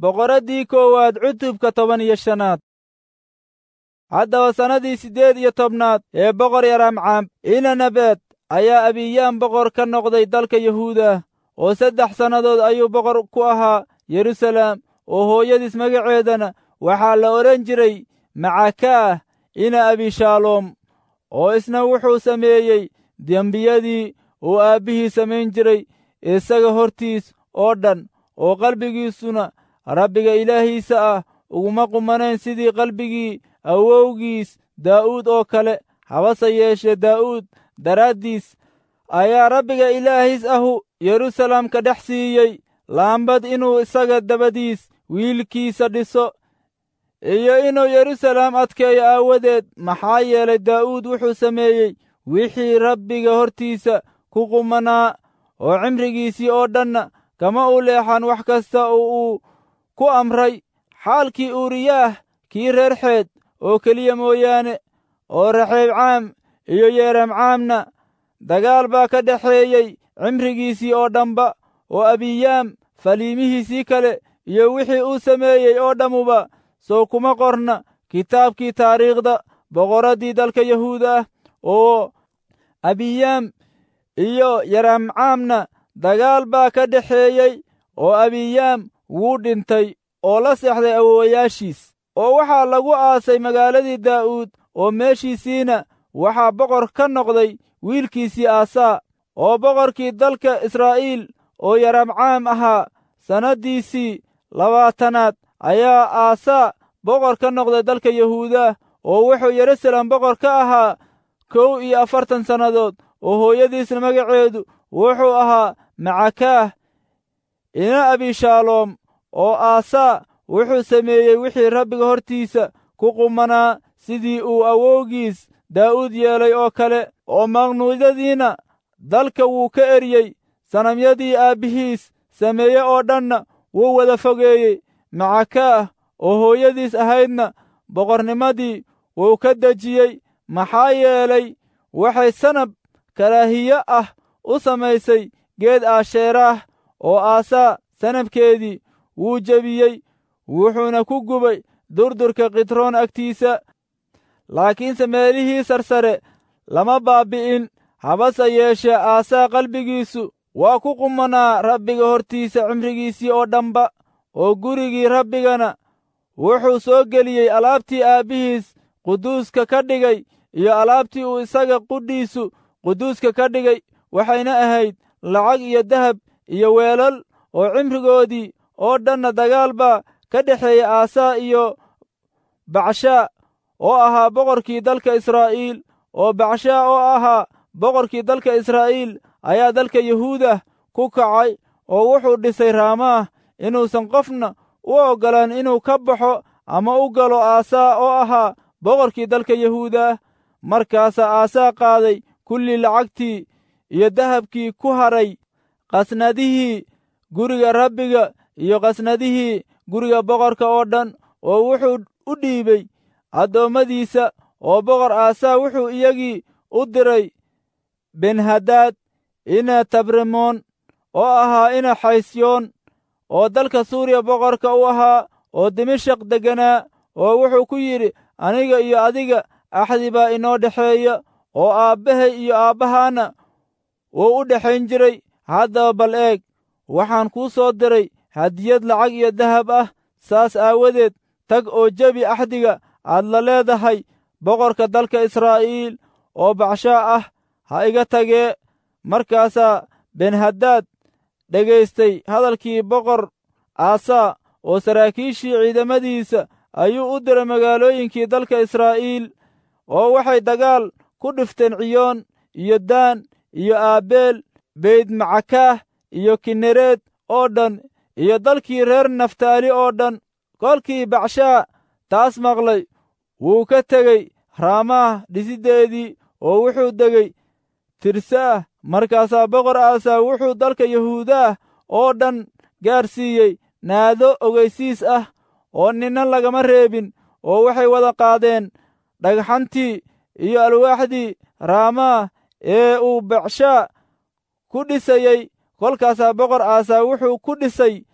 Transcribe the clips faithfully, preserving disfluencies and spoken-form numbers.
Boqoraddii koowaad cutubka toban iyo shanaad. Haddaba sannadii siddeed iyo tobnaad ee boqor Yaraamcaam ina Nabeed ayaa Abiyaam boqor ka noqday dalka Yahuuda, oo saddex sannadood ayuu boqor ku ahaa Yeruusaalem, oo hooyadiis magaceedana waxaa la odhan jiray Macakaah ina Abishaaloom. Oo isna wuxuu sameeyey dembiyadii uu aabbihii samayn jiray isaga hortiis oo dhan, oo qalbigiisuna Rabbiga Ilaahiisa ah uguma qumanayn sidii qalbigii awowgiis Daa'uud oo kale. Habase yeeshee Daa'uud daraaddiis ayaa Rabbiga Ilaahiis ahu Yeruusaalem ka dhex siiyey laambad inuu isaga dabadiis wiilkiisa dhiso iyo inuu Yeruusaalem adkeeyo aawadeed. Maxaa yeelay Daa'uud wuxuu sameeyey wixii Rabbiga hortiisa ku qumanaa, oo cimrigiisii oo dhanna kama u leexan wax kasta oo uu ku amray, xaalkii Uuriyaah kii reer Xeed oo keliya mooyaane. Oo Raxeebcaam iyo Yeramcaamna dagaal baa ka dhexeeyey cimrigiisii oo dhanba. Oo Abiyaam faliimihiisii kale iyo wixii uu sameeyey oo dhammuba sow kuma qorna kitaabkii taariikhda boqoraddii dalka Yahuuda ah. Oo Abiyaam iyo Yeramcaamna dagaal baa ka dhexeeyey, oo Abiyaam wuu dhintay oo la seexday awoowayaashiis, oo waxaa lagu aasay magaaladii Daa'uud, oo meeshiisiina waxaa boqor ka noqday wiilkiisii Aasaa. Oo boqorkii dalka Israa'iil oo Yaramcaam ahaa sannaddiisii labaatanaad ayaa Aasaa boqor ka noqday dalka Yahuuda, oo wuxuu Yeruusaalem boqor ka ahaa kow iyo afartan sannadood. Oo hooyadiisna magaceedu wuxuu ahaa Macakaah ina Abishaaloom. Oo Aasaa wuxuu sameeyey wixii Rabbiga hortiisa ku qumanaa, sidii uu awowgiis Daa'uud yeelay oo kale. Oo maqnuudyadiina dalka wuu ka eryey, sanamyadii aabbihiis sameeye oo dhanna wuu wada fogeeyey. Macakaah oo hooyadiis ahaydna boqornimadii wuu ka dejiyey, maxaa yeelay waxay sanab karaahiye ah u samaysay geed Aasheeraah. Oo Aasaa sanabkeedii wuu jebiyey, wuxuuna ku gubay durdurka Kidroon agtiisa. Laakiinse meelihii sarsare lama baabbi'in. Habase yeeshee Aasaa qalbigiisu waa ku qumanaa Rabbiga hortiisa cimrigiisii oo dhanba. Oo gurigii Rabbigana wuxuu soo geliyey alaabtii aabbihiis quduuska ka dhigay iyo alaabtii uu isaga qudhiisu quduuska ka dhigay, waxayna ahayd lacag iyo dahab iyo weelal. Oo cimrigoodii oo dhanna dagaal baa ka dhexeeyey Aasaa iyo Bacshaa oo ahaa boqorkii dalka Israa'iil. Oo Bacshaa oo ahaa boqorkii dalka Israa'iil ayaa dalka Yahuudah ku kacay, oo wuxuu dhisay Raamaah inuusan qofna u oggolaan inuu ka baxo ama u galo Aasaa oo ahaa boqorkii dalka Yahuudah. Markaasaa Aasaa qaaday kulli lacagtii iyo dahabkii ku hadhay qasnadihii guriga Rabbiga iyo qasnadihii guriga boqorka oo dhan, oo wuxuu u dhiibay addoommadiisa. Oo boqor Aasaa wuxuu iyagii u diray Benhadaad ina Tabremoon oo ahaa ina Xaysyoon, oo dalka Suuriya boqorka u ahaa, oo Dimashaq degganaa, oo wuxuu ku yidhi, Aniga iyo adiga axdi baa inoo dhexeeya, oo aabbahay iyo aabbahaana wuu u dhexayn jiray. Haddaba bal eeg, waxaan kuu soo diray hadiyad lacag iyo dahab ah. Saas aawadeed tag oo jebi axdiga aad la leedahay boqorka dalka Israa'iil oo Bacshaa ah, ha iga tagee. Markaasaa Benhadaad dhegaystay hadalkii boqor Aasaa, oo saraakiishii ciidamadiisa ayuu u diray magaalooyinkii dalka Israa'iil, oo waxay dagaal ku dhifteen Ciyoon iyo Daan iyo Aabeel Beydmacakaah iyo Kinereed oo dhan iyo dalkii reer Naftaali oo dhan. Kolkii Bacshaa taas maqlay, wuu ka tegey Raamaah dhisiddeedii, oo wuxuu degay Tirsaah. Markaasaa boqor Aasaa wuxuu dalka Yahuudaah oo dhan gaarsiiyey naado ogeysiis ah, oo ninna lagama reebin. Oo waxay wada qaadeen dhagxantii iyo alwaaxdii Raamaah ee uu Bacshaa ku dhisayey. Kolkaasaa boqor Aasaa wuxuu ku dhisay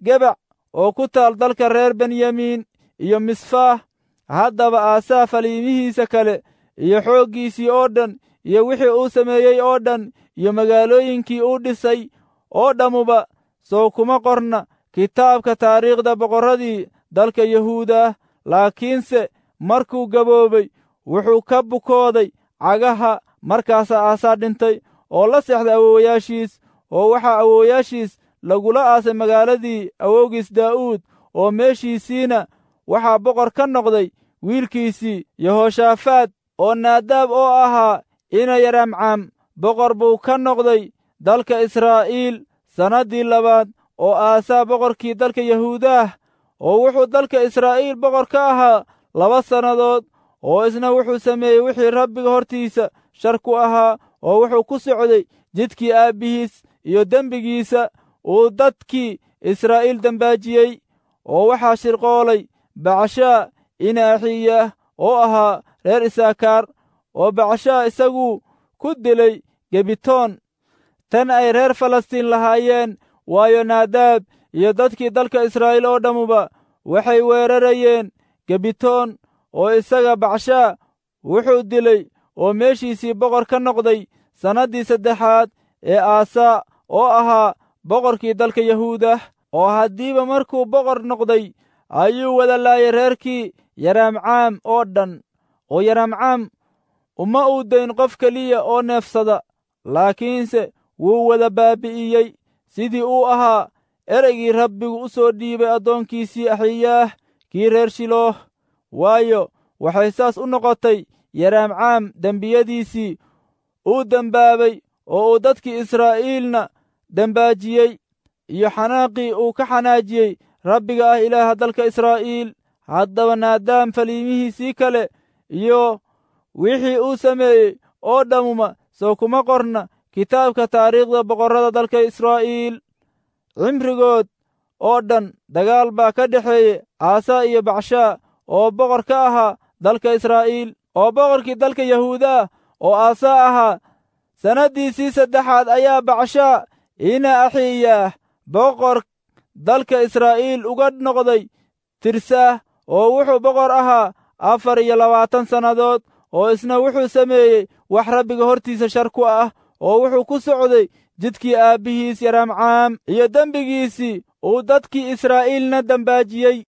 Gebac oo ku taal dalka reer Benyamiin iyo Misfaah. Haddaba Aasaa faliimihiisa kale iyo xooggiisii oo dhan iyo wixii uu sameeyey oo dhan iyo magaalooyinkii uu dhisay oo dhammuba sow kuma qorna kitaabka taariikhda boqorradii dalka Yahuudah. Laakiinse markuu gaboobay wuxuu ka bukooday cagaha. Markaasaa Aasaa dhintay oo la seexday awoowayaashiis, oo waxaa awoowayaashiis lagula aasay magaaladii awowgiis Daa'uud, oo meeshiisiina waxaa boqor ka noqday wiilkiisii Yehoshaafaad. Oo Naadaab oo ahaa ina Yaraamcaam boqor buu ka noqday dalka Israa'iil sannaddii labaad oo Aasaa boqorkii dalka Yahuudaah, oo wuxuu dalka Israa'iil boqor ka ahaa laba sannadood. Oo isna wuxuu sameeyey wixii Rabbiga hortiisa shar ku ahaa, oo wuxuu ku socday jidkii aabbihiis iyo dembigiisa uu dadkii Israa'iil dembaajiyey. Oo waxaa shirqoolay Bacshaa ina Axiyaah oo ahaa reer Isaakaar, oo Bacshaa isaguu ku dilay Gebitoon tan ay reer Falastiin lahaayeen. Waayo, Naadaab iyo dadkii dalka Israa'iil oo dhammuba waxay weerarayeen Gebitoon, oo isaga Bacshaa wuxuu dilay oo meeshiisii boqor ka noqday sannaddii saddexaad ee Aasaa oo ahaa boqorkii dalka Yahuudah. Oo haddiiba markuu boqor noqday ayuu wada laayay reerkii Yaraamcaam oo dhan, oo Yaraamcaam uma uu dayn qof keliya oo neefsada, laakiinse wuu wada baabi'iyey, sidii uu ahaa ereygii Rabbigu u soo dhiibay addoonkiisii Axiyaah kii reer Shilooh. Waayo, waxay saas u noqotay Yaraamcaam dembiyadiisii uu dembaabay oo uu dadkii Israa'iilna dembaajiyey, iyo xanaaqii uu ka xanaajiyey Rabbiga ah Ilaaha dalka Israa'iil. Haddaba Naadaam faliimihiisii kale iyo wixii uu sameeyey oo dhammuma soo kuma qorna kitaabka taariikhda boqorrada dalka Israa'iil. Cimrigood oo dhan dagaal baa ka dhexeeyey Aasaa iyo Bacshaa oo boqor ka ahaa dalka Israa'iil. Oo boqorkii dalka Yahuudah oo Aasaa ahaa sannaddiisii saddexaad ayaa Bacshaa ina Axiyaah boqor dalka Israa'iil uga noqday Tirsaah, oo wuxuu boqor ahaa afar iyo labaatan sannadood. Oo isna wuxuu sameeyey wax Rabbiga hortiisa shar ku ah, oo wuxuu ku socday jidkii aabbihiis Yaraamcaam iyo dembigiisii uu dadkii Israa'iilna dembaajiyey.